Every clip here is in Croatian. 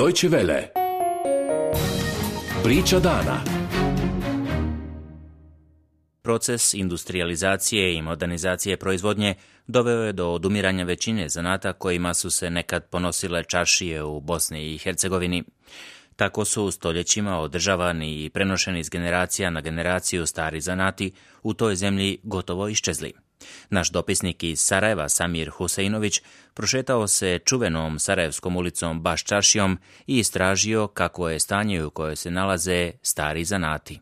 Deutsche Welle. Priča dana. Proces industrijalizacije i modernizacije proizvodnje doveo je do odumiranja većine zanata kojima su se nekad ponosile čaršije u Bosni i Hercegovini. Tako su stoljećima održavani i prenošeni iz generacija na generaciju stari zanati u toj zemlji gotovo iščezli. Naš dopisnik iz Sarajeva, Samir Huseinović, prošetao se čuvenom Sarajevskom ulicom baš čaršijom i istražio kako je stanje u kojoj se nalaze stari zanati.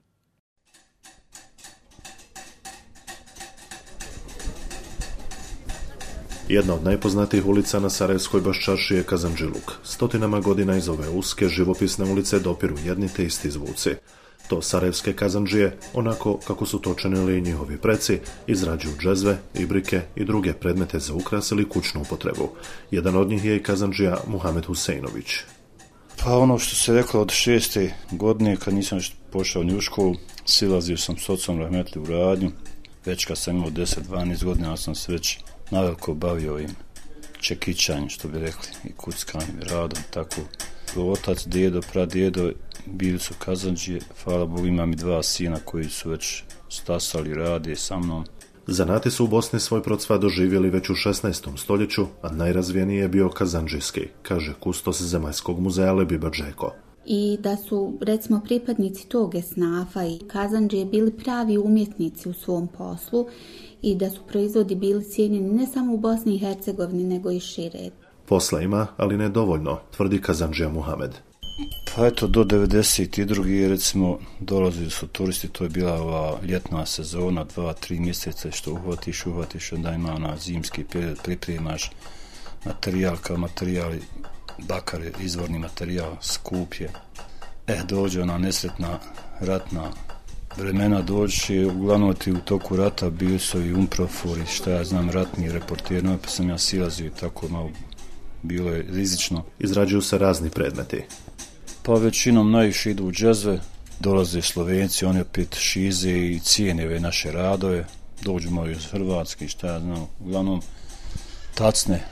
Jedna od najpoznatijih ulica na Sarajevskoj baščarši je Kazandžiluk. Stotinama godina iz ove uske živopisne ulice dopiru jedni te isti zvuci. To sarajevske kazandžije, onako kako su to činili i njihovi preci, izrađuju džezve, ibrike i druge predmete za ukras ili kućnu upotrebu. Jedan od njih je i kazandžija Muhamed Huseinović. Pa ono što se reklo od 6. godine, kad nisam pošao ni u školu, silazio sam s ocom rahmetli u radnju. Već kad sam imao 10-12 godina, sam se već naveliko bavio ovim čekićanjem, što bi rekli, i kuckanjem, i radom, tako. Otac, djedo, pradjedo bili su kazandžije, hvala Bogu imam i 2 sina koji su već stasali, rade sa mnom. Zanati su u Bosni svoj procvat doživjeli već u 16. stoljeću, a najrazvijeniji je bio kazandžijski, kaže kustos Zemaljskog muzeja Lebiba Džeko. I da su, recimo, pripadnici tog esnafa i kazandžije bili pravi umjetnici u svom poslu i da su proizvodi bili cijenjeni ne samo u Bosni i Hercegovini, nego i šire. Posla ima, ali ne dovoljno, tvrdi kazandžija Muhamed. Pa eto, do 92. recimo dolazili su turisti, to je bila ova ljetna sezona, 2-3 mjeseca, što uhvatiš, onda ima ona zimski period, pripremaš materijal kao materijal, bakar je izvorni materijal, skup je. Dođe ona nesretna ratna vremena, dođeš i uglavnom ti u toku rata bili su i umprofori, šta ja znam, ratni reporteri, no, pa sam ja silazio i tako malo bilo je rizično. Izrađuju se razni predmeti. Pa većinom najviše idu u džezve, dolaze Slovenci, oni opet šize i cijene ove naše radove, dođu moji iz Hrvatske, šta ja znam, uglavnom tacne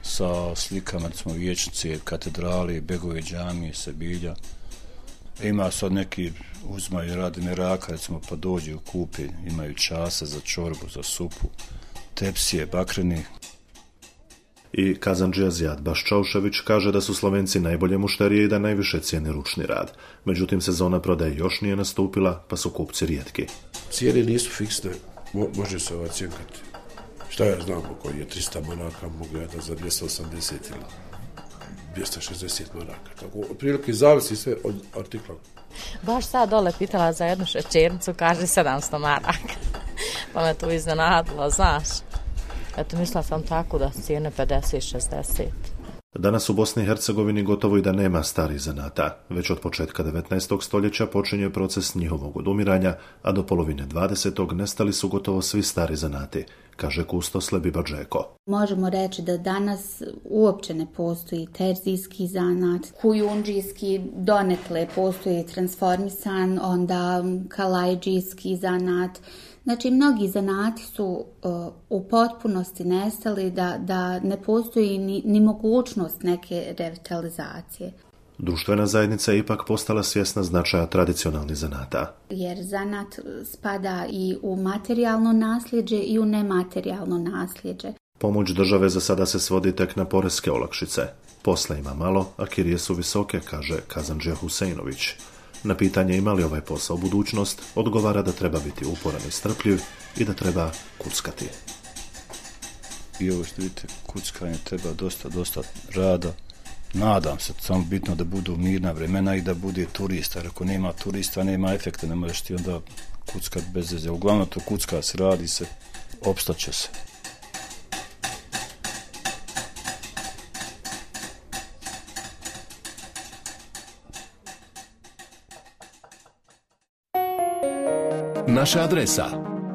sa slikama, recimo vijećnice, katedrali, begove džamije, Sebilja. Ima sad neki uzmaju radi meraka, recimo, pa dođu kupi, imaju čase za čorbu, za supu, tepsije, bakreni. I kazandžija Zijad Baščaušević kaže da su Slovenci najbolje mušterije i da najviše cijene ručni rad. Međutim, sezona prodaje još nije nastupila, pa su kupci rijetki. Cijene nisu fiksne, može se ocjenkati. Šta ja znam, koji je 300 maraka, mogu ja da za 280 ili 260 maraka. Tako, otprilike zavisi sve od artikla. Baš sad dole pitala za jednu šećernicu, kaže 700 maraka. Pa me to iznenadilo, znaš. Eto, mislila sam tako da cijene 50-60. Danas u Bosni i Hercegovini gotovo i da nema starih zanata. Već od početka 19. stoljeća počinje proces njihovog odumiranja, a do polovine 20. nestali su gotovo svi stari zanati, kaže kustos Lebiba Džeko. Možemo reći da danas uopće ne postoji terzijski zanat, kujundžijski donekle postoji transformisan, onda kalajđijski zanat. Znači, mnogi zanati su u potpunosti nestali, da ne postoji ni mogućnost neke revitalizacije. Društvena zajednica je ipak postala svjesna značaja tradicionalnih zanata. Jer zanat spada i u materijalno nasljeđe i u nematerijalno nasljeđe. Pomoć države za sada se svodi tek na poreske olakšice. Posla ima malo, a kirije su visoke, kaže kazandžija Huseinović. Na pitanje ima li ovaj posao budućnost, odgovara da treba biti uporan i strpljiv i da treba kuckati. I ovo što vidite, kuckanje treba dosta rada. Nadam se, samo bitno da budu mirna vremena i da bude turista. Jer ako nema turista, nema efekta, ne možeš ti onda kuckat bez veze. Uglavnom to kucka se, radi se, opstaće se. Naša adresa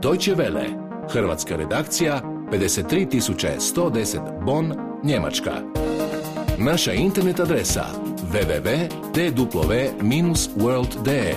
Deutsche Welle, hrvatska redakcija, 53110 Bonn, Njemačka. Naša internet adresa www.tww-world.de